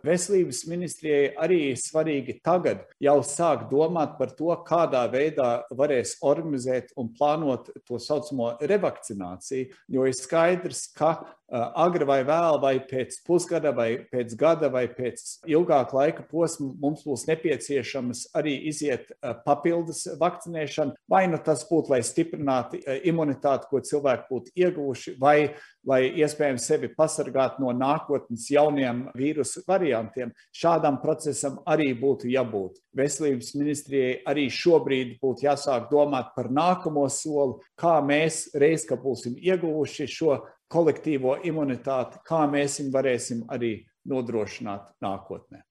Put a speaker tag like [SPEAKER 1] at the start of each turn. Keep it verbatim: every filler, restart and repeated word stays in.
[SPEAKER 1] Veselības ministrijai arī svarīgi tagad jau sāk domāt par to, kādā veidā varēs organizēt un plānot to saucamo revakcināciju, jo ir skaidrs, ka agri vai vēl, vai pēc pusgada, vai pēc gada, vai pēc ilgāka laika posma mums būs nepieciešams arī iziet papildus vakcinēšanu, vai nu tas būtu, lai stiprinātu imunitāti, ko cilvēki būtu ieguvuši, vai lai iespējams sevi pasargātu no nākotnes jauniem vīrusu variantiem. Šādam procesam arī būtu jābūt. Veselības ministrijai arī šobrīd būtu jāsāk domāt par nākamo soli, kā mēs reiz, ka būsim ieguvuši šo kolektīvo imunitāti, kā mēs viņu varēsim arī nodrošināt nākotnē.